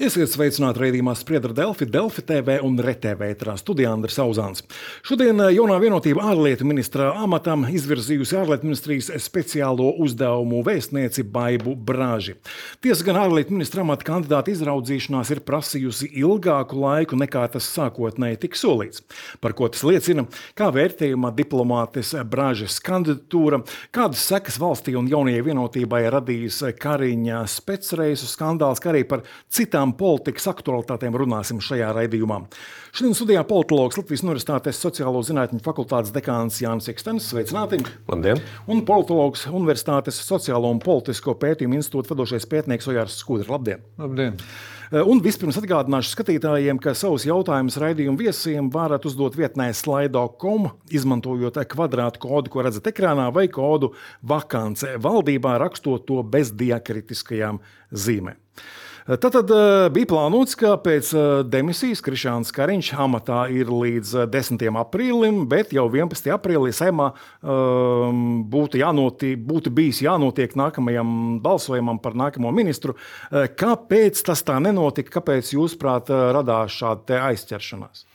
Esiet sveicināti raidījumā Spriedra Delfi, Delfi TV un RTV ētrā studijā Andris Auzāns. Šodien jaunā vienotība ārlietu ministra amatam izvirzījusi ārlietu ministrijas speciālo uzdevumu vēstnieci Baibu Braži. Tiesa gan ārlietu ministra amata kandidāta izraudzīšanās ir prasījusi ilgāku laiku nekā tas sākotnēji tika solīts. Par ko tas liecina, kā vērtējumā diplomātes Bražas kandidatūra, kādas sekas valstī un jaunajai vienotībai radījis Kariņa specreisu skandāls, kā arī par citām politikas aktualitātēm runāsim šajā raidījumā. Šodien studijā politologs Latvijas Universitātes sociālo zinātņu fakultātes dekāns Jānis Ikstenis. Sveicināti! Labdien! Un politologs Universitātes sociālo un politisko pētījumu institūta vadošais pētnieks Ojārs Skudra. Labdien! Labdien! Un vispirms atgādināšu skatītājiem, ka savus jautājumus raidījumu viesiem varat uzdot vietnē slido.com, izmantojot kvadrātu kodu, ko redzat ekrānā, vai kodu vakance valdībā, rakstot to bez diakritiskajām zīmēm. Tātad bija plānots, ka pēc demisijas Krišjāns Kariņš amatā ir līdz 10. aprīlim, bet jau 11. aprīlī Saeimā būtu bijis jānotiek nākamajam balsojumam par nākamo ministru. Kāpēc tas tā nenotika? Kāpēc jūsuprāt radās šāda te aizķeršanās?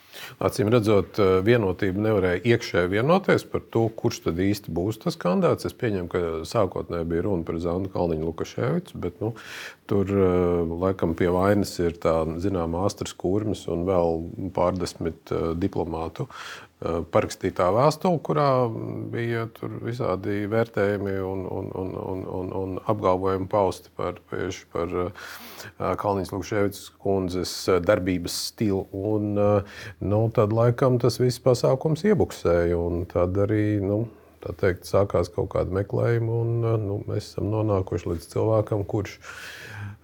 Acīm redzot, vienotība nevarēja iekšēji vienoties par to, kurš tad īsti būs tas kandidāts. Es pieņemu, ka sākotnēji bija runa par Zandu Kalniņu Lukaševicu, bet tur laikam pie vainas ir tā zināmā Astras Kurmis un vēl pārdesmit diplomātu parakstītā vēstule, kurā bija tur visādi vērtējumi un apgalvojumi pausti par Kalniņas Lukaševicas kundzes darbības stilu. Tad laikam tas viss pasākums iebuksēja, un tad arī, tā teikt, sākās kaut kāda meklējuma, un mēs esam nonākuši līdz cilvēkam, kurš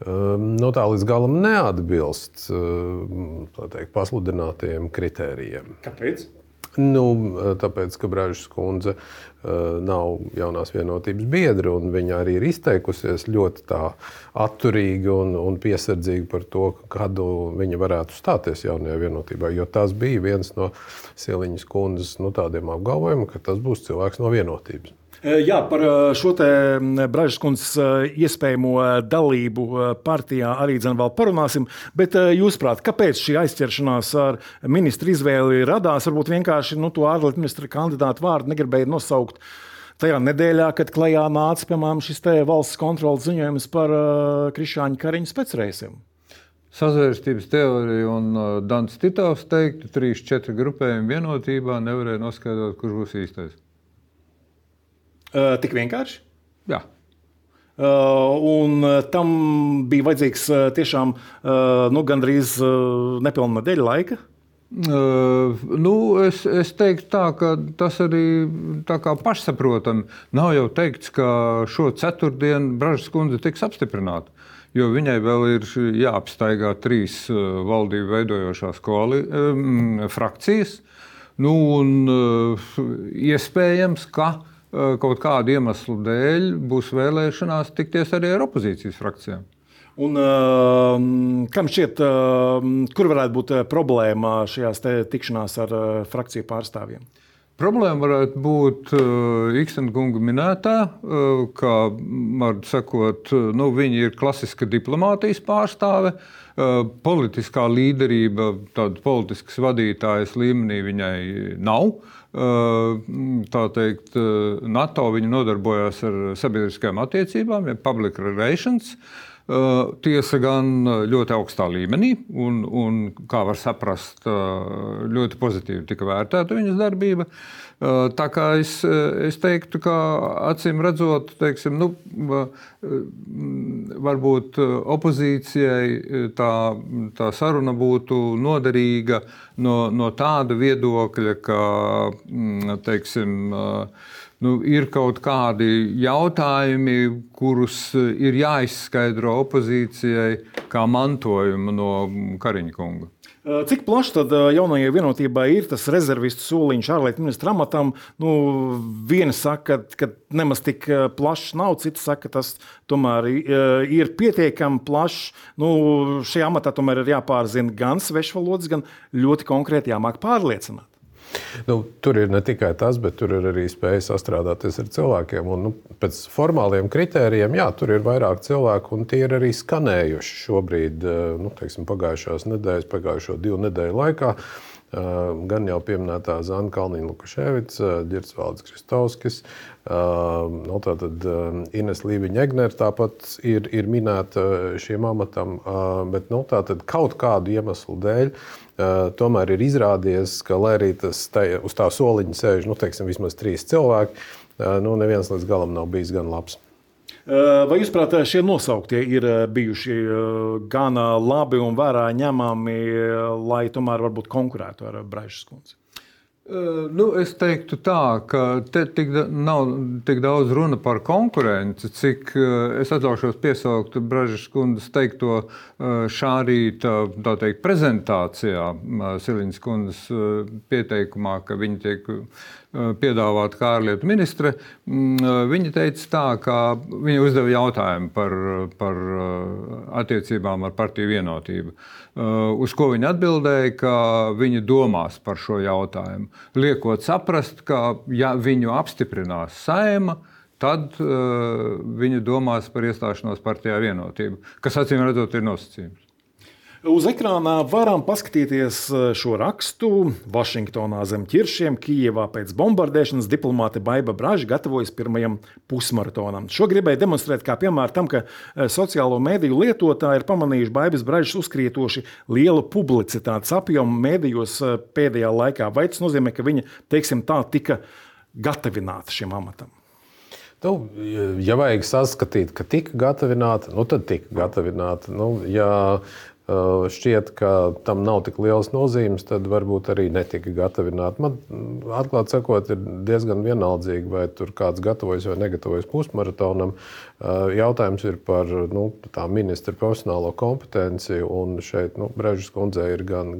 tā līdz galam neatbilst, tā teikt, pasludinātajiem kritērijiem. Kāpēc? Tāpēc, ka Bražas kundze nav jaunās vienotības biedra, un viņa arī ir izteikusies ļoti tā atturīgi un piesardzīgi par to, kādu viņa varētu stāties jaunajā vienotībā, jo tas bija viens no Siliņas kundzes tādiem apgalvojumiem, ka tas būs cilvēks no vienotības. Jā, par šo te Bražas kundzes iespējamo dalību partijā arī vēl parunāsim, bet jūsuprāt, kāpēc šī aizķeršanās ar ministru izvēli radās? Varbūt vienkārši to ārlietu ministra kandidātu vārdu negribēja nosaukt tajā nedēļā, kad klajā nāca, piemēram, šis te valsts kontroles ziņojums par Krišjāņa Kariņa specreisiem. Sazvērstības teorija un Dans Titovs teiktu, 3-4 grupējumi vienotībā nevarēja noskaidrot, kurš būs īstais. Tik vienkārši? Jā. Un tam bija vajadzīgs tiešām gandrīz nepilna nedēļa laika? Es teiktu tā, ka tas arī tā kā pašsaprotami. Nav jau teikts, ka šo ceturtdienu Bražas kundze tiks apstiprināta, jo viņai vēl ir jāapstaigā 3 valdību veidojošās frakcijas. Iespējams, ka kaut kādu iemeslu dēļ būs vēlēšanās tikties arī ar opozīcijas frakcijām. Un kam šķiet, kur varētu būt problēma šajās tikšanās ar frakciju pārstāvjiem? Problēma varētu būt Ikstena kunga minētā, ka, var sakot, viņi ir klasiska diplomātijas pārstāve, politiskā līderība, tāda politiskas vadītājas līmenī viņai nav. Tā teikt, NATO viņa nodarbojās ar sabiedriskajām attiecībām, ja public relations. Tiesa gan ļoti augstā līmenī, un kā var saprast, ļoti pozitīvi tika vērtēta viņas darbība. Tā kā es teiktu, ka acīm redzot, teiksim, varbūt opozīcijai tā saruna būtu noderīga no tāda viedokļa, ka, teiksim, ir kaut kādi jautājumi, kurus ir jāizskaidro opozīcijai kā mantojumu no Kariņa kunga. Cik plaši tad jaunajai vienotībai ir tas rezervistu soliņš ārlietu ministra amatam? Viena saka, ka nemaz tik plašs nav, cita saka, ka tas tomēr ir pietiekami plašs. Šajā amatā tomēr ir jāpārzina gan svešvalodas, gan ļoti konkrēti jāmāk pārliecināt. Tur ir ne tikai tas, bet tur ir arī spēja sastrādāties ar cilvēkiem. Un, pēc formāliem kritērijiem, jā, tur ir vairāk cilvēku, un tie ir arī skanējuši šobrīd, pagājušās nedēļas, pagājušo 2 nedēļu laikā. Gan jau pieminētā Zana Kalniņa-Lukaševica, Ģirds Valdis Kristovskis, tātad Ines Līviņa-Egnere tāpat ir minēta šiem amatam, bet tātad kaut kādu iemeslu dēļ tomēr ir izrādies, ka, lai arī uz tā soliņa sēž, vismaz 3 cilvēki, neviens līdz galam nav bijis gan labs. Vai jūs prāt, šie nosauktie ir bijuši gan labi un vērā ņemami, lai tomēr varbūt konkurētu ar Braižas kundzi? Es teiktu tā, ka te nav tik daudz runa par konkurenci, cik es atļaušos piesaukt Braižas kundzes teikto šā rīta, tā teikt, prezentācijā Siliņas kundzes pieteikumā, ka viņa tiek piedāvāta kā ārlietu ministre. Viņa teica tā, ka viņa uzdeva jautājumu par attiecībām ar partiju Vienotību, uz ko viņa atbildēja, ka viņa domās par šo jautājumu. Liekot saprast, ka ja viņu apstiprinās Saeima, tad viņa domās par iestāšanos partijā Vienotība, kas acīm redzot ir nosacījums. Uz ekrānā varam paskatīties šo rakstu. Vašingtonā zem ķiršiem, Kijevā pēc bombardēšanas diplomāte Baiba Braža gatavojas pirmajam pusmaratonam. Šo gribēja demonstrēt kā piemēru tam, ka sociālo mediju lietotāji ir pamanījuši Baibas Bražas uzkrietoši lielu publicitātes apjomu medijos pēdējā laikā. Vai tas nozīmē, ka viņa, teiksim tā, tika gatavināta šim amatam? Ja vajag saskatīt, ka tika gatavināta, tad tika gatavināta. Ja šķiet, ka tam nav tik liels nozīmes, tad varbūt arī netika gatavināta. Man, atklāt sakot, ir diezgan vienaldzīgi, vai tur kāds gatavojas vai negatavojas pusmaratonam. Jautājums ir par tā ministra profesionālo kompetenci, un šeit Braižas kundzei ir gan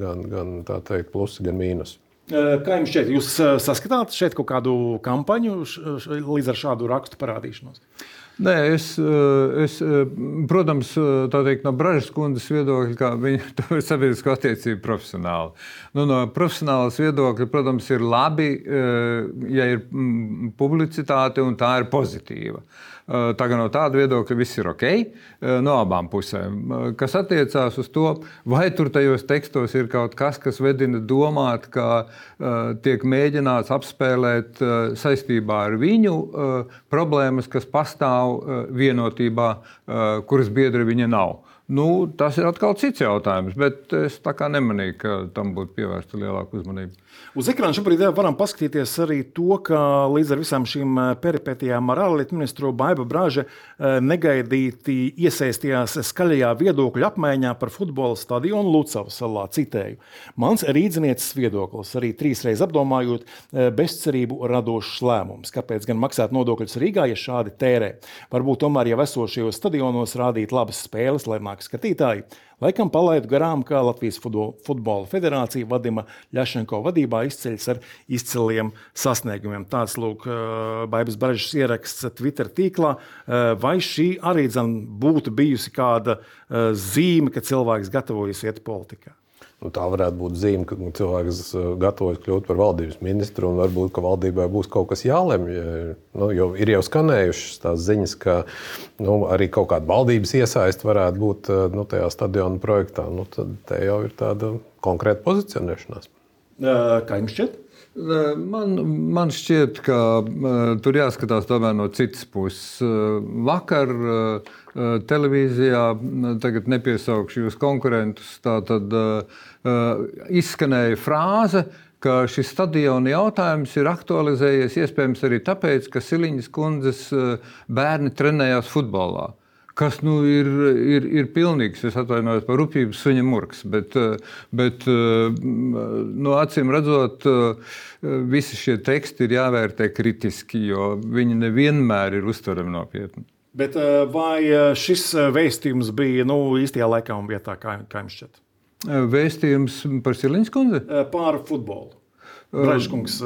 tā teikt, plusi, gan mīnusi. Kā jums šķiet, jūs saskatāt šeit kaut kādu kampaņu līdz ar šādu rakstu parādīšanos? Nē, es, protams, tā teikt, no Braižas kundzes viedokļa, kā viņa ir sabiedrisko attiecību profesionāli. No profesionālas viedokļa, protams, ir labi, ja ir publicitāte un tā ir pozitīva. Tā kā no tāda viedokļa viss ir ok, no abām pusēm. Kas attiecās uz to, vai tur tajos tekstos ir kaut kas, kas vedina domāt, ka tiek mēģināts apspēlēt saistībā ar viņu problēmas, kas pastāv Vienotībā, kuras biedri viņa nav. Tas ir atkal cits jautājums, bet es tā kā nemanīju, ka tam būtu pievērsta lielāka uzmanība. Uz ekrāna šobrīd varam paskatīties arī to, ka līdz ar visām šīm peripetijām ar ārlietu ministru Baiba Braža negaidīti iesaistījās skaļajā viedokļu apmaiņā par futbola stadionu Lucavas salā. Citēju: mans rīdzinieces viedoklis, arī 3 reizes apdomājot, bezcerību radošs lēmums. Kāpēc gan maksāt nodokļus Rīgā, ja šādi tērē? Varbūt tomēr jau esošajos stadionos rādīt labas spēles, lai nāk skatītāji. Laikam palaidu garām, kā Latvijas futbola federācija Vadima Ļašenko vadībā izceļas ar izciliem sasniegumiem. Tāds lūk Baibas Bražas ieraksts Twitter tīklā. Vai šī arī būtu bijusi kāda zīme, ka cilvēks gatavojas iet politikā? Tā varētu būt zīme, ka cilvēks gatavojas kļūt par valdības ministru, un varbūt, ka valdībai būs kaut kas jālemj. Jo ir jau skanējušas tās ziņas, ka arī kaut kāda valdības iesaiste varētu būt tajā stadiona projektā. Tad te jau ir tāda konkrēta pozicionēšanās. Kā jums šķiet? Man šķiet, ka tur jāskatās tomēr no citas puses. Vakar televīzijā, tagad nepiesaukšu jūs konkurentus, tātad izskanēja frāze, ka šis stadiona jautājums ir aktualizējies iespējams arī tāpēc, ka Siliņas kundzes bērni trenējās futbolā. Kas ir pilnīgs, es atvainojos par rupjības suņa murgs, bet acīm redzot, visi šie teksti ir jāvērtē kritiski, jo viņi nevienmēr ir uztverami nopietni. Bet vai šis vēstījums bija īstajā laikā un vietā, kā jums šķiet? Vēstījums par Siliņas kundzi? Par futbolu. Bražas kundzes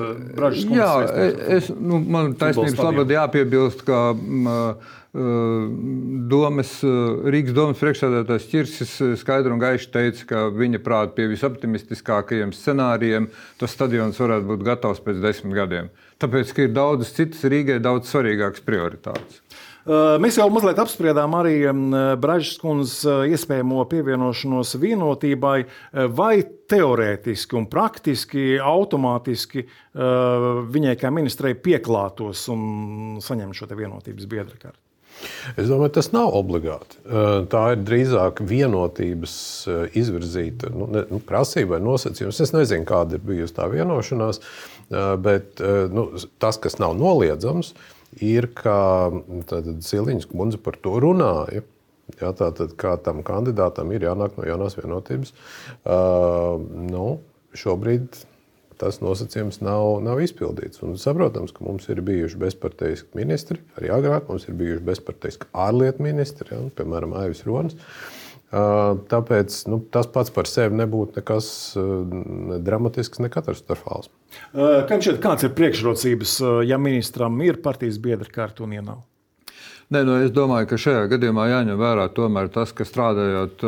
man taisnības labad jāpiebilst, ka Rīgas domas priekšsēdētājs Ķirsis skaidri un gaiši teica, ka viņa prāt pie visoptimistiskākajiem scenārijiem tas stadions varētu būt gatavs pēc 10 gadiem. Tāpēc, ka ir daudzas citas Rīgai daudz svarīgākas prioritātes. Mēs jau mazliet apspriedām arī Bražas kundzes iespējamo pievienošanos vienotībai, vai teorētiski un praktiski, automātiski viņai kā ministrei pieklātos un saņemt šo te vienotības biedra karti. Es domāju, tas nav obligāti. Tā ir drīzāk vienotības izvirzīta prasība vai nosacījums. Es nezinu, kāda ir bijusi tā vienošanās, bet tas, kas nav noliedzams, ir, ka Siliņas kundze par to runāja. Jā, tātad, kā tam kandidātam ir jānāk no jaunās vienotības. Šobrīd tas nosacījums nav izpildīts. Un saprotams, ka mums ir bijuši bezparteiski ministri, arī agrāk mums ir bijuši bezparteiski ārlietu ministri, jā, piemēram, Aivis Ronis. Tāpēc tas pats par sevi nebūtu nekas dramatisks, ne katastrofāls. Kāds ir priekšrocības, ja ministram ir partijas biedra karta un ja nav? Es domāju, ka šajā gadījumā jāņem vērā tomēr tas, ka strādājot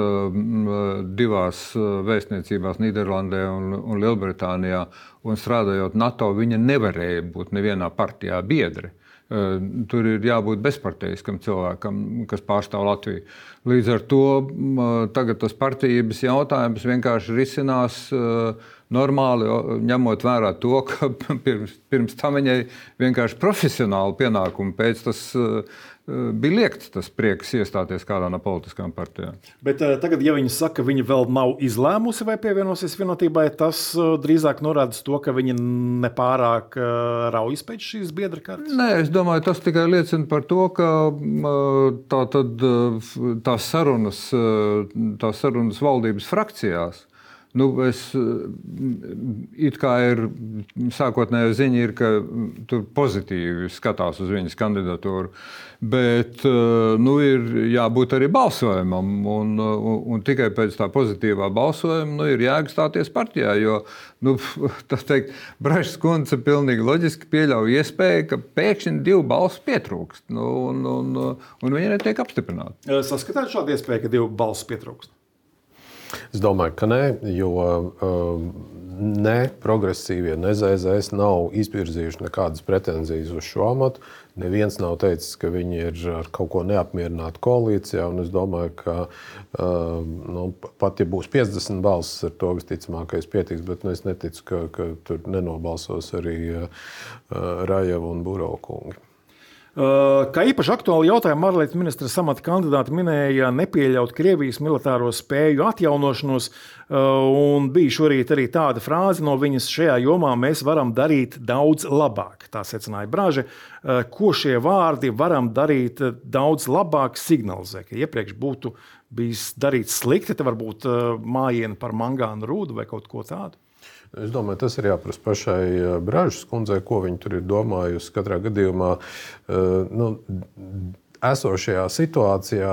divās vēstniecībās Nīderlandē un Lielbritānijā un strādājot NATO, viņa nevarēja būt nevienā partijā biedri. Tur ir jābūt bezparteiskam cilvēkam, kas pārstāv Latviju. Līdz ar to tagad tas partijības jautājums vienkārši risinās normāli, ņemot vērā to, ka pirms tam viņai vienkārši profesionāli pienākumi pēc tas bija liekts tas prieks iestāties kādā no politiskām partijām. Bet tagad, ja viņa saka, ka viņa vēl nav izlēmusi vai pievienosies vienotībai, tas drīzāk norāda to, ka viņa nepārāk raujas pēc šīs biedra kartes? Es domāju, tas tikai liecina par to, ka tās sarunas valdības frakcijās, it kā ir sākotnējā ziņa, ka tur pozitīvi skatās uz viņas kandidatūru, bet ir jābūt arī balsojumam, un tikai pēc tā pozitīvā balsojuma ir jēga stāties partijā, jo, tā teikt, Bražas kundze pilnīgi loģiski pieļauj iespēju, ka pēkšņi 2 balsu pietrūkst, un viņa netiek apstiprināta. Saskatāt šādu iespēju, ka 2 balsu pietrūkst? Es domāju, ka nē, jo ne progresīvie, ne ZZS nav izvirzījuši nekādas pretenzijas uz šo amatu. Neviens nav teicis, ka viņi ir ar kaut ko neapmierināti koalīcijā, un es domāju, ka pat ja būs 50 balsis, ar to visticamākais pietiks, bet es neticu, ka tur nenobalsos arī Rajeva un Burokungi. Kā īpaši aktuāli jautājumu ārlietu ministra amata kandidāti minēja nepieļaut Krievijas militāro spēju atjaunošanos, un bija šorīt arī tāda frāze no viņas: šajā jomā mēs varam darīt daudz labāk. Tā secināja Braža. Ko šie vārdi varam darīt daudz labāk signalizē, ka iepriekš būtu bijis darīts slikti, te varbūt mājiena par mangānu rūdu vai kaut ko tādu? Es domāju, tas ir jāprasa pašai Bražas kundzei, ko viņa tur ir domājusi. Katrā gadījumā esošajā situācijā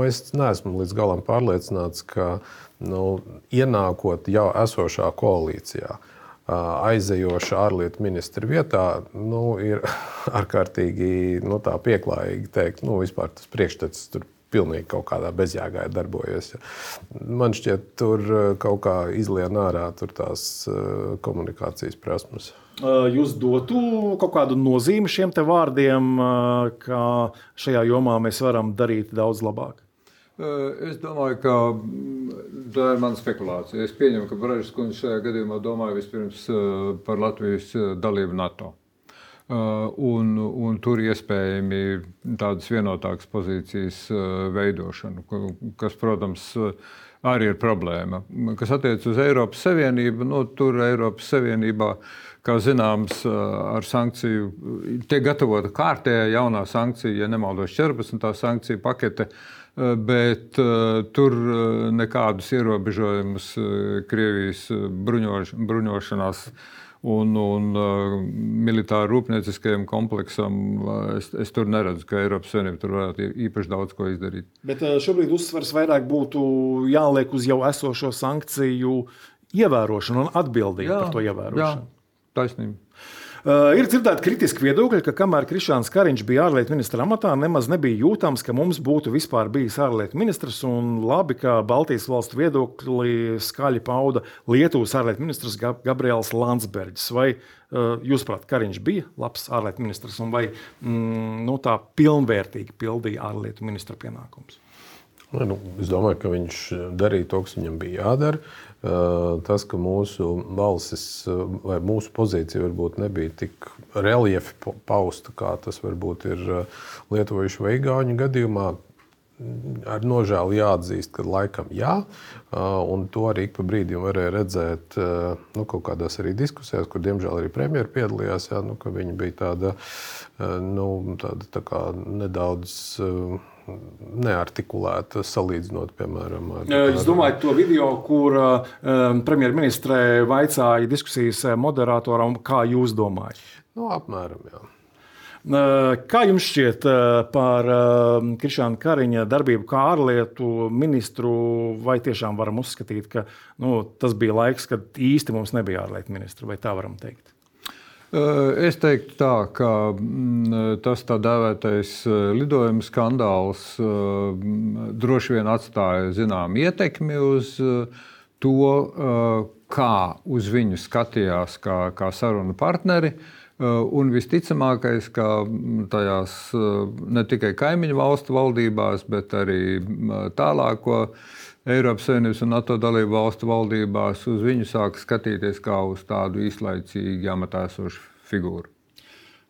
es neesmu līdz galam pārliecināts, ka ienākot jau esošā koalīcijā, aizejoša ārlietu ministra vietā, ir ārkārtīgi tā pieklājīgi teikt, vispār tas priekšstats tur pilnīgi kaut kādā bezjēgā darbojas. Man šķiet, tur kaut kā izlien ārā tās komunikācijas prasmes. Jūs dotu kaut kādu nozīmi šiem te vārdiem, ka šajā jomā mēs varam darīt daudz labāk? Es domāju, ka tā ir mana spekulācija. Es pieņemu, ka Bražas kundze šajā gadījumā domāja vispirms par Latvijas dalību NATO. Un tur iespējami tādas vienotākas pozīcijas veidošanu, kas, protams, arī ir problēma. Kas attiec uz Eiropas Savienību, tur Eiropas Savienībā, kā zināms, ar sankciju tiek gatavota kārtējā jaunā sankcija, ja nemaldos 14. sankciju pakete, bet tur nekādus ierobežojumus Krievijas bruņošanās un militāru rūpnieciskajam kompleksam es tur neredzu, ka Eiropas Savienība tur varētu īpaši daudz ko izdarīt. Bet šobrīd uzsvars vairāk būtu jāliek uz jau esošo sankciju ievērošanu un atbildību par to ievērošanu. Jā, taisnība. Ir dzirdēti kritiski viedokļi, ka kamēr Krišjāns Kariņš bija ārlietu ministra amatā, nemaz nebija jūtams, ka mums būtu vispār bijis ārlietu ministrs, un labi, ka Baltijas valstu viedokli skaļi pauda Lietuvas ārlietu ministrs Gabriels Landsbergis. Vai jūsuprāt, Kariņš bija labs ārlietu ministrs, un vai tā pilnvērtīgi pildīja ārlietu ministra pienākumus? Es domāju, ka viņš darīja to, kas viņam bija jādara. Tas, ka mūsu balsis vai mūsu pozīcija varbūt nebija tik reliefi pausta, kā tas varbūt ir lietuviešu vai igauņu gadījumā, ar nožēlu jāatzīst, ka laikam jā. Un to arī ik pa brīdim varēja redzēt kaut kādās arī diskusijās, kur diemžēl arī premjeri piedalījās, ka viņa bija tāda tā kā nedaudz neartikulēta, salīdzinot, piemēram, Es domāju, to video, kur premjerministrē vaicāja diskusijas moderatoram, kā jūs domājat? Apmēram, jā. Kā jums šķiet par Krišjāna Kariņa darbību kā ārlietu ministru, vai tiešām varam uzskatīt, ka tas bija laiks, kad īsti mums nebija ārlietu ministra, vai tā varam teikt? Es teiktu tā, ka tas tā dēvētais lidojuma skandāls droši vien atstāja zinām ietekmi uz to, kā uz viņu skatījās kā sarunu partneri. Un visticamākais, ka tajās ne tikai kaimiņu valstu valdībās, bet arī tālāko Eiropas Savienības un NATO dalību valstu valdībās uz viņu sāka skatīties kā uz tādu īslaicīgi amatā esošu figūru.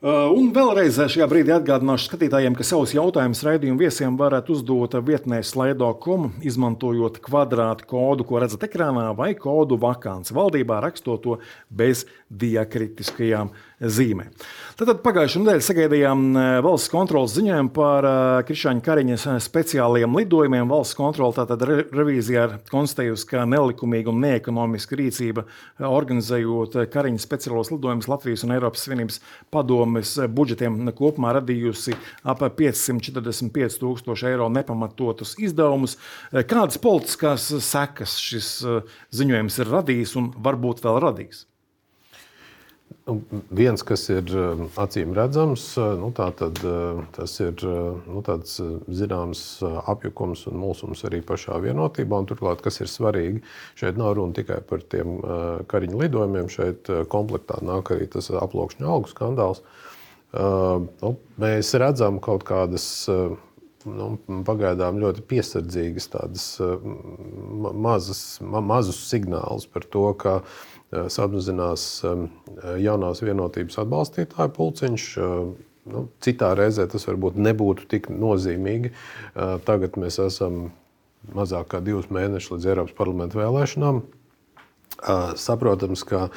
Un vēlreiz šajā brīdī atgādināšu skatītājiem, ka savus jautājumus raidījumu viesiem varētu uzdot vietnē slido.com, izmantojot kvadrātu kodu, ko redzat ekrānā, vai kodu vakants valdībā, rakstot to bez diakritiskajām zīmēm. Tātad pagājušajā nedēļā sagaidījām valsts kontrolas ziņojumu par Krišjāna Kariņa speciālajiem lidojumiem. Valsts kontrola tātad revīzijā ir konstatējusi, ka nelikumīga un neekonomiska rīcība organizējot Kariņa speciālos lidojumus Latvijas un Eiropas Savienības padomes budžetiem kopumā radījusi ap 545 000 eiro nepamatotus izdevumus. Kādas politiskās sekas šis ziņojums ir radījis un varbūt vēl radīs? Viens, kas ir acīm redzams, tas ir tāds zināms apjukums un mulsums arī pašā vienotībā. Un turklāt, kas ir svarīgi, šeit nav runa tikai par tiem Kariņa lidojumiem, šeit komplektā nāk arī tas aploksņu algu skandāls. Mēs redzam kaut kādas pagaidām ļoti piesardzīgas tādas mazus signālus par to, ka samazinās jaunās vienotības atbalstītāju pulciņš. Citā reizē tas varbūt nebūtu tik nozīmīgi. Tagad mēs esam mazāk kā 2 mēneši līdz Eiropas parlamenta vēlēšanām. Saprotams, ka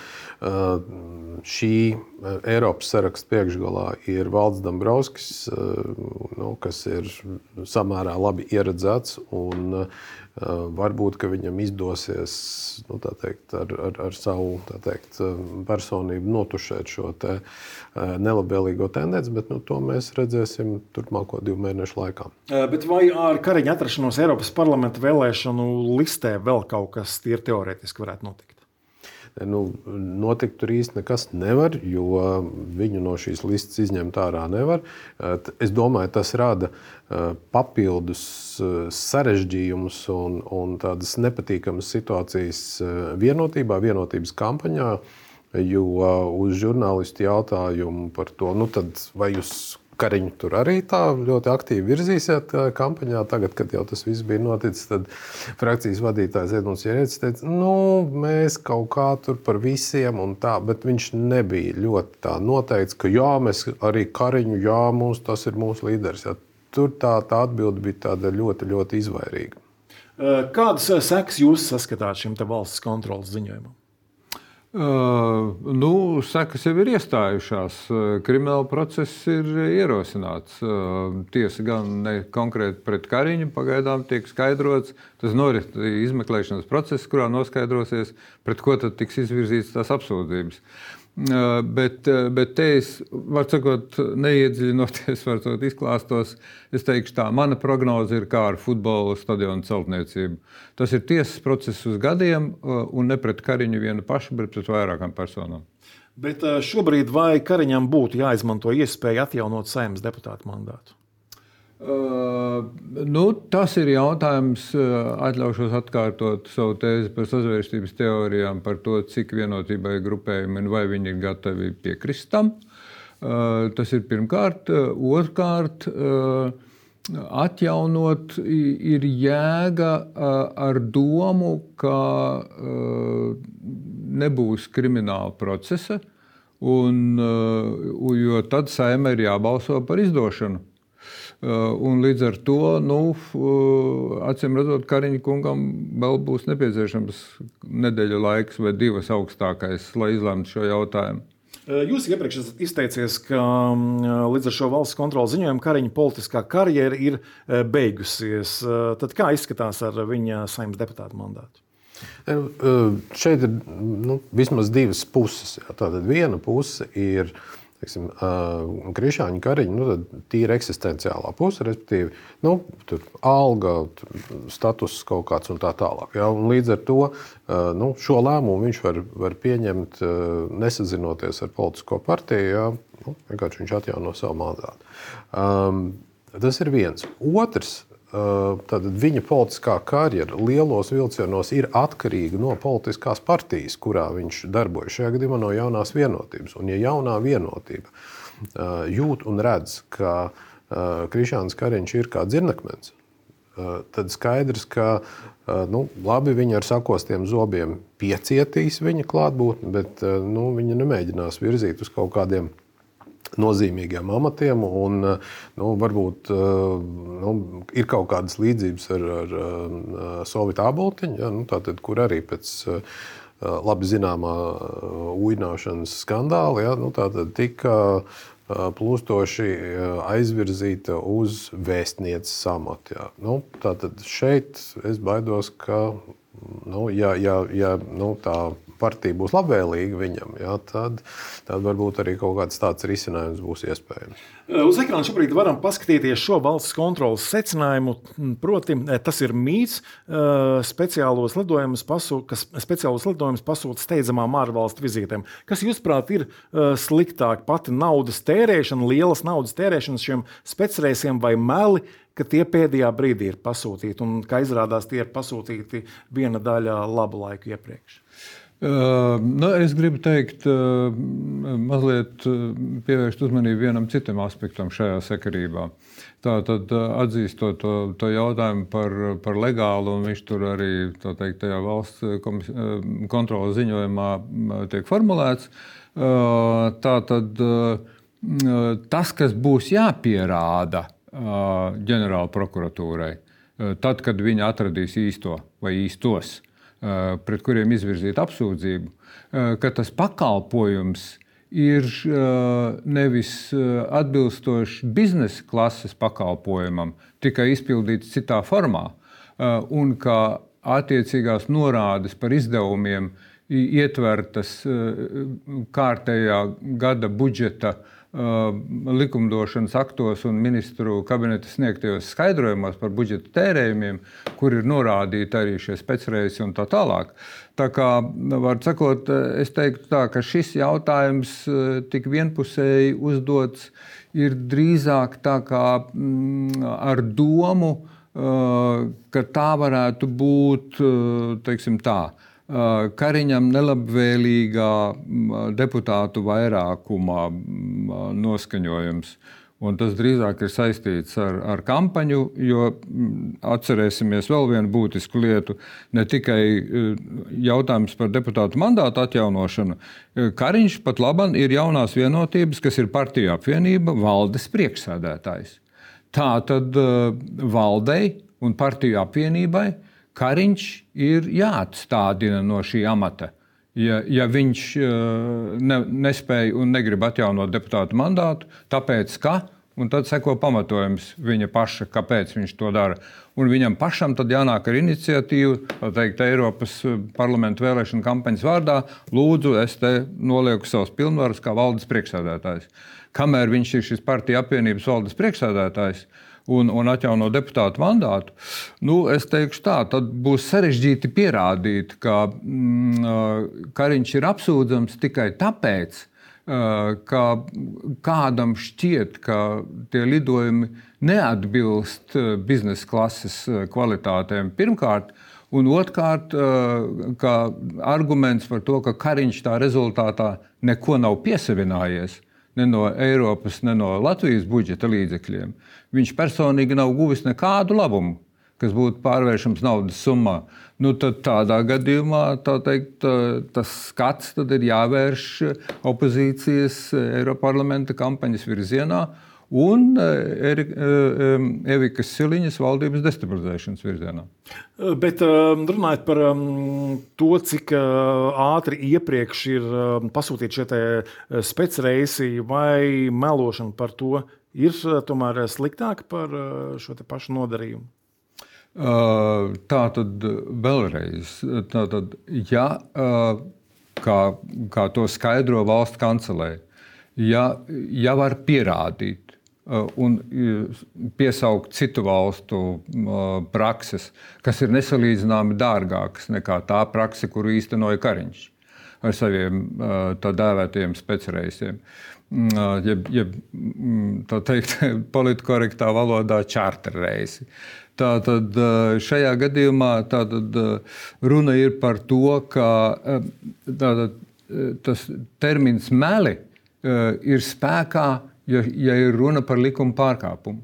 šī Eiropas saraksta priekšgalā ir Valdis Dombrovskis, kas ir samērā labi ieredzēts, un varbūt, ka viņam izdosies ar savu personību notušēt šo nelabvēlīgo tendenci, bet to mēs redzēsim turpmāko 2 mēnešu laikā. Bet vai ar Kariņa atrašanos Eiropas parlamenta vēlēšanu listē vēl kaut kas tīri teorētiski varētu notikt? Notikt tur īsti nekas nevar, jo viņu no šīs listas izņemt ārā nevar. Es domāju, tas rada papildus sarežģījumus un tādas nepatīkamas situācijas vienotības kampaņā, jo uz žurnālistu jautājumu par to, vai jūs Kariņu tur arī tā ļoti aktīvi virzīsiet kampaņā. Tagad, kad jau tas viss bija noticis, tad frakcijas vadītājs Edmunds Ierēdis teica, mēs kaut kā tur par visiem un tā, bet viņš nebija ļoti tā noteikts, ka jā, mēs arī Kariņu, jā, tas ir mūsu līderis. Jā. Tur tā atbilde bija tāda ļoti, ļoti izvairīga. Kādas sekas jūs saskatāt šim te valsts kontrolas ziņojumam? Sekas jau ir iestājušās. Krimināla process ir ierosināts. Tiesa gan ne konkrēti pret Kariņu pagaidām tiek skaidrots. Tas norit izmeklēšanas process, kurā noskaidrosies, pret ko tad tiks izvirzītas tās apsūdzības. Bet te es, var sakot, neiedziļinoties, varbūt izklāstos, es teikšu tā, mana prognoze ir kā ar futbola stadionu celtniecību. Tas ir tiesas process uz gadiem un ne pret Kariņu vienu pašu, bet pret vairākām personām. Bet šobrīd vai Kariņam būtu jāizmanto iespēja atjaunot Saeimas deputātu mandātu? Tas ir jautājums, atļaušos atkārtot savu tēzi par sazvērstības teorijām, par to, cik vienotībai grupējumi un vai viņi ir gatavi piekrist tam. Tas ir pirmkārt. Otrkārt, atjaunot ir jēga ar domu, ka nebūs krimināla procesa, jo tad Saeimai ir jābalso par izdošanu. Un līdz ar to, acīm redzot, Kariņa kungam vēl būs nepieciešams nedēļa laiks vai divas augstākais, lai izlemtu šo jautājumu. Jūs iepriekš esat izteicies, ka līdz ar šo valsts kontrolas ziņojumu Kariņa politiskā karjera ir beigusies. Tad kā izskatās ar viņa Saeimas deputātu mandātu? Šeit ir vismaz divas puses. Tātad viena puse ir Krišāņa Kariņa, tīra eksistenciālā puse, respektīvi, tur alga, status kaut kāds un tā tālāk. Ja? Un līdz ar to šo lēmumu viņš var pieņemt, nesazinoties ar politisko partiju, ja? Vienkārši viņš atjauno savu mandātu. Tas ir viens. Otrs, tad viņa politiskā karjera lielos vilcienos ir atkarīga no politiskās partijas, kurā viņš darbojas. Šajā gadījumā no Jaunās vienotības. Un ja Jaunā vienotība jūt un redz, ka Krišāns Kariņš ir kā dzirnakmens, tad skaidrs, ka labi, viņi ar sakostiem zobiem piecietīs viņa klātbūtni, bet viņi nemēģinās virzīt uz kaut kādiem nozīmīgiem amatiem, un varbūt ir kaut kādas līdzības ar Solvitu Āboltiņu, ja, tātad, kur arī pēc labi zināmā uināšanas skandāla, ja, tātad tika plūstoši aizvirzīta uz vēstnieces amatu. Ja. Tātad šeit es baidos, ka ja tā partija būs labvēlīga viņam, ja, tad varbūt arī kaut kāds tāds risinājums būs iespējams. Uz ekrāna šobrīd varam paskatīties šo valsts kontrolas secinājumu. Proti, tas ir mīts, speciālos lidojumus pasūta steidzamām ārvalstu vizītēm. Kas, jūsuprāt, ir sliktāk, pati naudas tērēšana, lielas naudas tērēšanas šiem specreisiem vai meli, ka tie pēdējā brīdī ir pasūtīti un, kā izrādās, tie ir pasūtīti viena daļa labu laiku iepriekš? Es gribu teikt, mazliet pievērst uzmanību vienam citam aspektam šajā sakarībā. Tātad atzīstot to jautājumu par legālu, un viņš tur arī tajā valsts kontrolas ziņojumā tiek formulēts. Tātad tas, kas būs jāpierāda ģenerāla prokuratūrai, tad, kad viņi atradīs īsto vai īstos, pret kuriem izvirzīt apsūdzību, ka tas pakalpojums ir nevis atbilstošs biznesa klases pakalpojumam, tikai izpildīts citā formā, un ka attiecīgās norādes par izdevumiem ietvertas kārtējā gada budžeta likumdošanas aktos un ministru kabineta sniegtajos skaidrojumos par budžeta tērējumiem, kur ir norādīti arī šie specreisi un tā tālāk. Tā kā, var sakot, es teiktu tā, ka šis jautājums tik vienpusēji uzdots ir drīzāk tā kā ar domu, ka tā varētu būt, teiksim tā, Kariņam nelabvēlīgā deputātu vairākumā noskaņojums. Un tas drīzāk ir saistīts ar kampaņu, jo atcerēsimies vēl vienu būtisku lietu, ne tikai jautājums par deputātu mandātu atjaunošanu. Kariņš pat labam ir Jaunās vienotības, kas ir partiju apvienība, valdes priekšsēdētājs. Tātad valdei un partiju apvienībai Kariņš ir jāatstādina no šī amata. Ja viņš nespēja un negrib atjaunot deputātu mandātu, tāpēc ka, un tad seko pamatojums viņa paša, kāpēc viņš to dara. Un viņam pašam tad jānāk ar iniciatīvu, tā teikt, Eiropas parlamentu vēlēšanu kampaņas vārdā, lūdzu, es te nolieku savus pilnvarus kā valdes priekšsēdētājs. Kamēr viņš ir šis partiju apvienības valdes priekšsēdētājs, un atjauno deputātu mandātu, es teikšu tā, tad būs sarežģīti pierādīt, ka Kariņš ir apsūdzams tikai tāpēc, ka kādam šķiet, ka tie lidojumi neatbilst biznesa klases kvalitātēm pirmkārt, un otrkārt, ka arguments par to, ka Kariņš tā rezultātā neko nav piesavinājies, ne no Eiropas, ne no Latvijas budžeta līdzekļiem. Viņš personīgi nav guvis nekādu labumu, kas būtu pārvēršams naudas summā. Tad tādā gadījumā, tā teikt, tas skats tad ir jāvērš opozīcijas Eiroparlamenta kampaņas virzienā un Evikas Siliņas valdības destabilizēšanas virzienā. Bet runājot par to, cik ātri iepriekš ir pasūtīti šie specreisi vai melošana par to, ir tomēr sliktāk par šo te pašu nodarījumu? Tātad vēlreiz, ja, kā to skaidro valsts kancelē, ja var pierādīt un piesaukt citu valstu prakses, kas ir nesalīdzināmi dārgākas nekā tā prakse, kuru īstenoja Kariņš ar saviem tā dēvētajiem specreisiem, tā teikt, politkorektā valodā čārterreisi. Tātad šajā gadījumā runa ir par to, ka tas termins meli ir spēkā, ja ir runa par likuma pārkāpumu.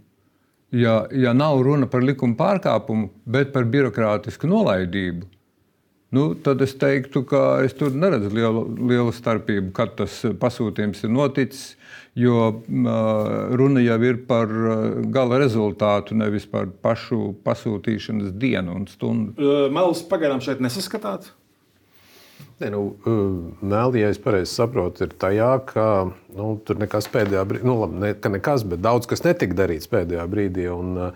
Ja nav runa par likuma pārkāpumu, bet par birokrātisku nolaidību, tad es teiktu, ka es tur neredzu lielu starpību, kad tas pasūtījums ir noticis, jo runa jau ir par gala rezultātu, nevis par pašu pasūtīšanas dienu un stundu. Melus pagaidām šeit nesaskatāt? Meli, ja es pareizi saprotu, ir tajā, ka tur nekas pēdējā brīdī, ka nekas, bet daudz kas netika darīts pēdējā brīdī. Un,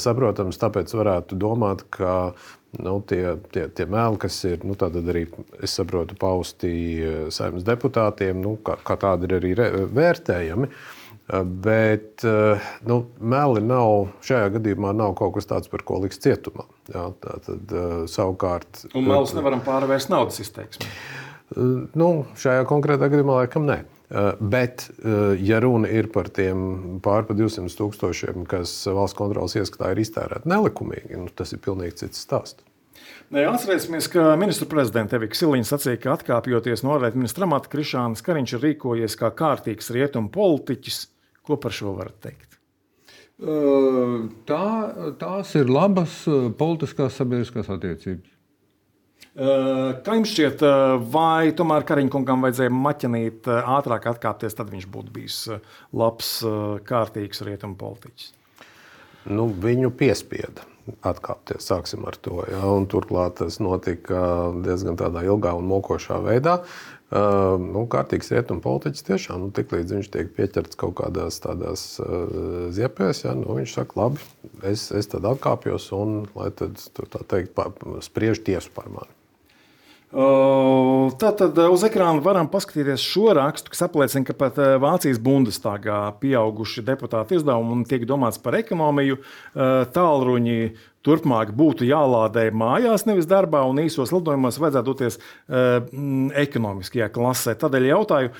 saprotams, tāpēc varētu domāt, ka tie meli, kas ir tātad arī, es saprotu, pausti Saeimas deputātiem, kā tādi ir arī vērtējami. Bet meli šajā gadījumā nav kaut kas tāds, par ko liks cietumā. Jā, tātad, savukārt, un melus nevaram pārvērst naudas izteiksmē? Šajā konkrētā gadījumā laikam nē. Bet, ja runa ir par tiem pār pa 200,000, kas valsts kontrolas ieskatā ir iztērēti nelikumīgi, tas ir pilnīgi cits stāsts. Atcerēsimies, ka ministru prezidenta Evika Siliņa sacīja, ka atkāpjoties no ārlietu ministra amata, Krišānis Kariņš ir rīkojies kā kārtīgs rietumu politiķis. Ko par šo varat teikt? Tās ir labas politiskās sabiedriskās attiecības. Kā jums šķiet, vai tomēr Kariņkungam vajadzēja maķinīt ātrāk atkāpties, tad viņš būtu bijis labs, kārtīgs rietumu politiķis? Viņu piespieda atkāpties, sāksim ar to. Ja? Un turklāt tas notika diezgan tādā ilgā un mokošā veidā. Kārtīgs rietumu politiķis tiešām, tiklīdz viņš tiek pieķerts kaut kādās tādās ziepēs, ja? Viņš saka, labi, es tad atkāpjos un, lai tad, tā teikt, spriež tiesu par mani. Tātad uz ekrāna varam paskatīties šo rakstu, kas apliecina, ka pat Vācijas Bundestagā pieauguši deputāti izdevumi un tiek domāts par ekonomiju. Tālruņi turpmāk būtu jālādē mājās, nevis darbā, un īsos lidojumos vajadzētu doties ekonomiskajā klasē. Tādēļ jautāju,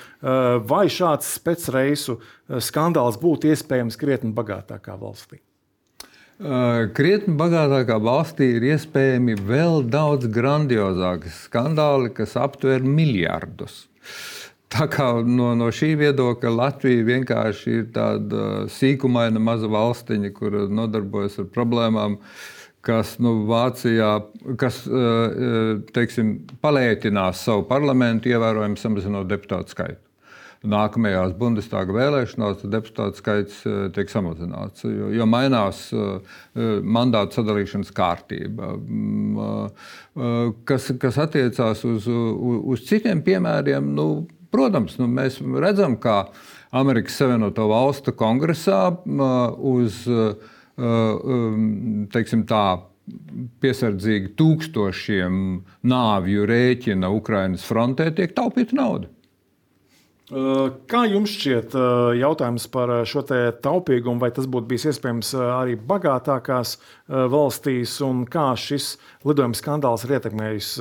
vai šāds specreisu skandāls būtu iespējams krietni bagātākā valstī? Krietni bagātākā valstī ir iespējami vēl daudz grandiozāki skandāli, kas aptver miljardus. Tā kā no šī viedokļa Latvija vienkārši ir tāda sīkumaina maza valstiņa, kur nodarbojas ar problēmām, kas Vācijā, teiksim, palētinās savu parlamentu, ievērojami samazinot deputātu skaitu. Nākamajās Bundestaga vēlēšanās deputātu skaits tiek samazināts, jo mainās mandātu sadalīšanas kārtība. Kas attiecās uz citiem piemēriem, protams, mēs redzam, kā Amerikas Savienoto Valstu kongresā uz, teiksim tā, piesardzīgi tūkstošiem nāvju rēķina Ukrainas frontē tiek taupīta nauda. Kā jums šķiet jautājums par šo te taupīgumu, vai tas būtu bijis iespējams arī bagātākās valstīs, un kā šis lidojuma skandāls ir ietekmējis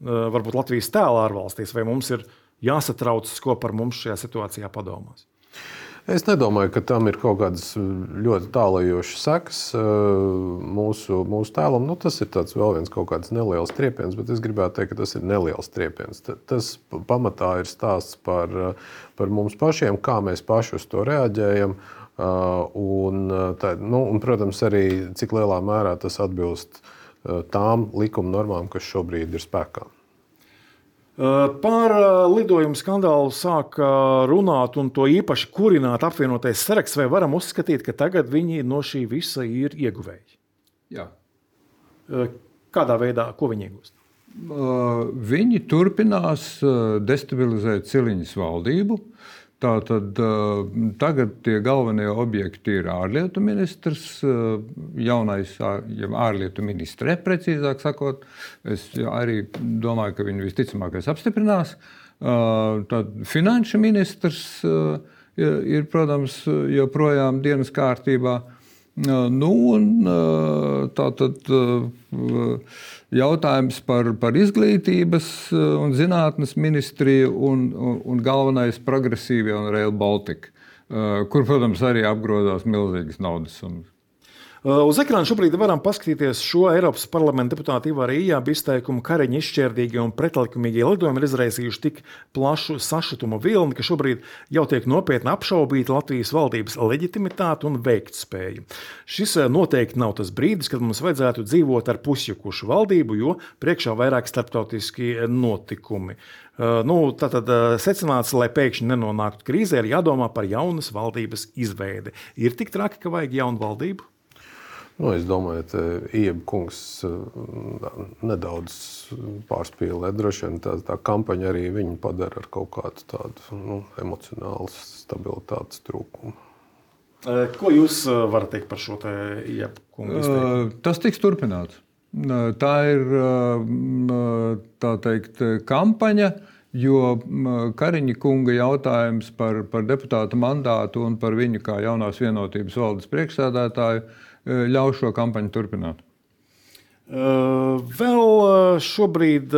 varbūt Latvijas tēlu ārvalstīs, vai mums ir jāsatraucas, ko par mums šajā situācijā padomās? Es nedomāju, ka tam ir kaut kādas ļoti tālajošas sekas mūsu tēlam. Nu, tas ir vēl viens kaut kāds neliels triepiens, bet es gribētu teikt, ka tas ir neliels triepiens. Tas pamatā ir stāsts par mums pašiem, kā mēs paši uz to reaģējam. Un, protams, arī cik lielā mērā tas atbilst tām likuma normām, kas šobrīd ir spēkā. Par lidojumu skandālu sāk runāt un to īpaši kurināt apvienotais saraksts, vai varam uzskatīt, ka tagad viņi no šī visa ir ieguvēji? Jā. Kādā veidā, ko viņi iegūst? Viņi turpinās destabilizēt Ciliņas valdību. Tātad tagad tie galvenie objekti ir ārlietu ministrs, jaunais ārlietu ministre, precīzāk sakot. Es arī domāju, ka viņu visticamākais apstiprinās. Tad finanšu ministrs ir, protams, joprojām dienas kārtībā. Tātad jautājums par izglītības un zinātnes ministriju un galvenais progresīvie un Rail Baltica, kur, protams, arī apgrozās milzīgas naudas summas. Uz ekrāna šobrīd varam paskatīties šo Eiropas parlamenta deputātu Ivara Ījāba izteikumu. Kariņa izšķērdīgie un pretlikumīgie lidojumi ir izraisījuši tik plašu sašutumu vilni, ka šobrīd jau tiek nopietni apšaubīta Latvijas valdības leģitimitāte un veiktspēja. Šis noteikti nav tas brīdis, kad mums vajadzētu dzīvot ar pusjukušu valdību, jo priekšā vairāk starptautiski notikumi. Tātad secināts, lai pēkšņi nenonāktu krīzē, ir jādomā par jaunas valdības izveidi. Ir tik traki, ka vajag jaunu valdību? Es domāju, ka Ījāba kungs nedaudz pārspīlē. Droši vien tā kampaņa arī viņu padara ar kaut kādu tādu emocionālu stabilitātes trūkumu. Ko jūs varat teikt par šo Ījāba kungu izteikumu? Tas tiks turpināts. Tā ir tā teikt kampaņa, jo Kariņa kunga jautājums par deputāta mandātu un par viņu kā jaunās vienotības valdes priekšsēdētāju ļauj šo kampaņu turpināt. Vēl šobrīd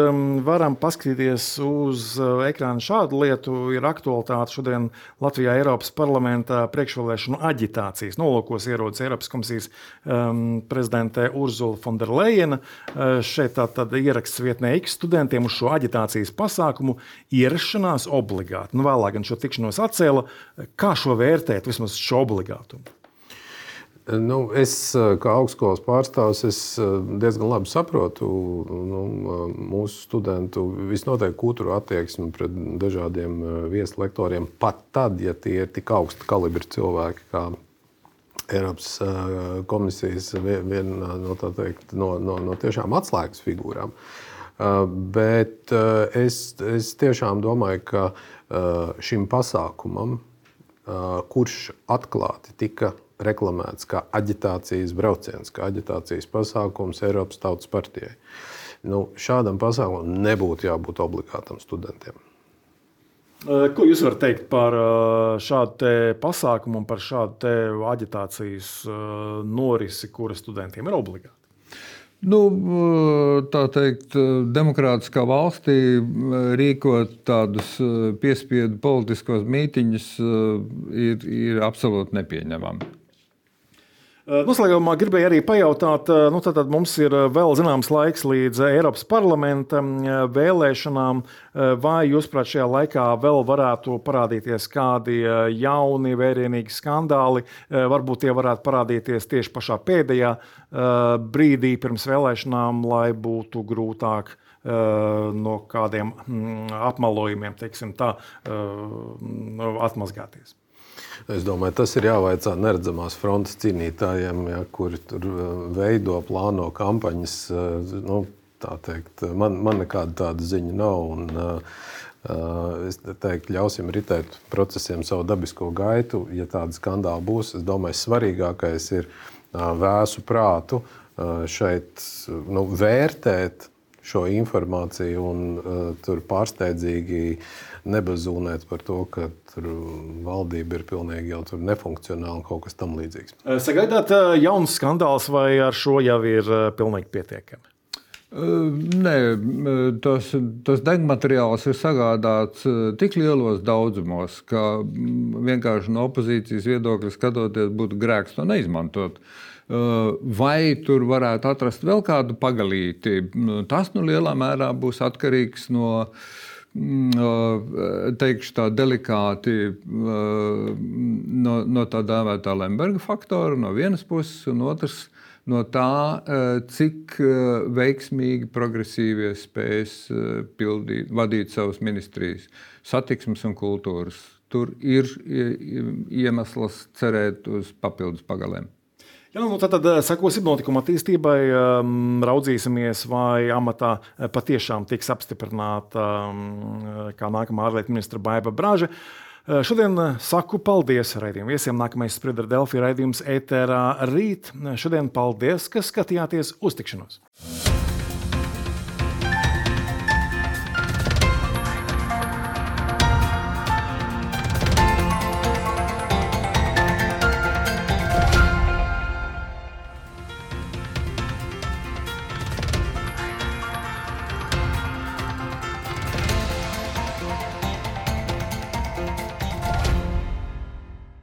varam paskatīties uz ekrāna šādu lietu. Ir aktualitāte šodien Latvijā Eiropas parlamentā priekšvēlēšanu aģitācijas nolūkos ierodas Eiropas komisijas prezidente Urzula Fonderlejena. Šeit tātad ieraksts vietnē X studentiem uz šo aģitācijas pasākumu ierašanās obligāti. Vēlāk gan šo tikšanos atcēla. Kā šo vērtēt, vismaz šo obligātumu? Es kā augstskolas pārstāvis diezgan labi saprotu mūsu studentu visnotaļ kutru attieksmi pret dažādiem vieslektoriem, pat tad, ja tie ir tik augsta kalibra cilvēki, kā Eiropas komisijas viena no tiešām atslēgas figūrām. Bet es tiešām domāju, ka šim pasākumam, kurš atklāti tika reklamēts kā aģitācijas brauciens, kā aģitācijas pasākums Eiropas Tautas partijai. Šādam pasākumam nebūtu jābūt obligātam studentiem. Ko jūs varat teikt par šādu pasākumu un par šādu aģitācijas norisi, kura studentiem ir obligāta? Tā teikt, demokrātiskā valstī rīkot tādus piespiedu politiskos mītiņus ir absolūti nepieņemami. Noslēgumā gribēju arī pajautāt, tātad mums ir vēl zināms laiks līdz Eiropas parlamenta vēlēšanām. Vai jūs, prāt, šajā laikā vēl varētu parādīties kādi jauni, vērienīgi skandāli? Varbūt tie varētu parādīties tieši pašā pēdējā brīdī pirms vēlēšanām, lai būtu grūtāk no kādiem apmelojumiem, teiksim tā, atmazgāties. Es domāju, tas ir jāvaicā neredzamās frontes cīnītājiem, kuri tur veido, plāno kampaņas. Tā teikt, man nekāda tāda ziņa nav. Un, es teiktu, ļausim ritēt procesiem savu dabisko gaitu. Ja tāda skandāla būs, es domāju, svarīgākais ir vēsu prātu šeit vērtēt šo informāciju un tur pārsteidzīgi nebazūnēt par to, ka tur valdība ir pilnīgi jau tur nefunkcionāla un kaut kas tam līdzīgs. Sagaidāt jauns skandāls vai ar šo jau ir pilnīgi pietiekami? Nē, tas degmateriāls ir sagādāts tik lielos daudzumos, ka vienkārši no opozīcijas viedokļa skatoties būtu grēks to neizmantot. Vai tur varētu atrast vēl kādu pagalīti? Tas lielā mērā būs atkarīgs no, teikšu tā delikāti, no tā dēvētā Lemberga faktora no vienas puses, un otrs no tā, cik veiksmīgi progresīvie spēs vadīt savas ministrijas, satiksmes un kultūras. Tur ir iemesls cerēt uz papildus pagalēm. Jā, tad sekosim notikuma attīstībai, raudzīsimies, vai amatā patiešām tiks apstiprināta kā nākamā ārlietu ministra Baiba Braža. Šodien saku paldies raidījumu viesiem. Nākamais Spriedra Delfi raidījums ēterā rīt. Šodien paldies, ka skatījāties uz tikšanos.